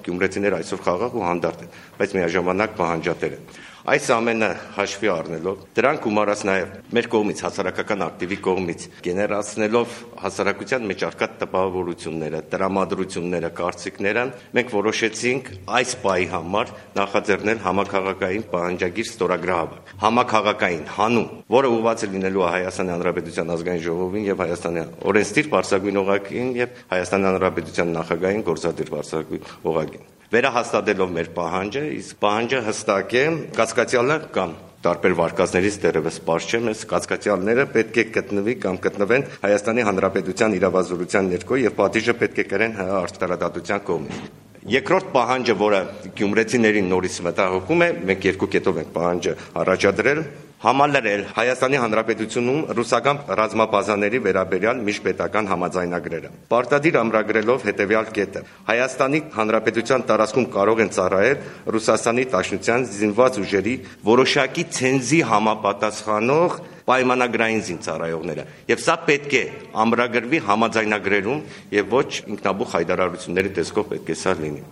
գյումրեցիները այսօր խաղաղ ու հանդարտ են, բայց միաժամանակ պահանջատեր են։ Այս ամենը հաշվի առնելով, դրանք գումարած նաև մեր կողմից, հասարակական ակտիվի կողմից, գեներացնելով հասարակության մեջ առկա տպավորությունները, տրամադրությունները, կարծիքները, մենք որոշեցինք այս պահի համար նախաձեռնել համաքաղաքային պահանջագիր ստորագրահավաք, համաքաղաքային հանուն, որը ուղղված է լինելու Հայաստանի Հանրապետության ազգային ժողովին եւ Հայաստանի օրենսդիր բարձրագույն օղակին եւ Հայաստանի Հանրապետության նախագահային գործադիր բարձրագույն օղակին։ Վերահաստատելով մեր պահանջը, իսկ պահանջը հստակ է, կասկածյալը կամ տարբեր վարկածներից դեռևս պարզ չէ, մեզ կասկածյալները պետք է գտնվի կամ գտնվեն Հայաստանի Հանրապետության իրավազորության ներքո եւ պատիժը պետք է կրեն ՀՀ արտարադատության կողմից։ Երկրորդ պահանջը, որը գյումրեցիներին նորից մտահոգում է, մենք երկու կետով ենք պահանջը առաջադրել, համալրել Հայաստանի Հանրապետությունում ռուսական ռազմաբազաների վերաբերյալ միջպետական համաձայնագրերը։ Պարտադիր ամրագրելով հետևյալ կետը. Հայաստանի Հանրապետության տարածքում կարող են ծառայել Ռուսաստանի Դաշնության զինված ուժերի որոշակի ցենզի համապատասխանող պայմանագրային զինծառայողները։ Եվ սա պետք է ամրագրվի համաձայնագրերում եւ ոչ ինքնաբուխ հայտարարությունների տեսքով պետք է սա լինի։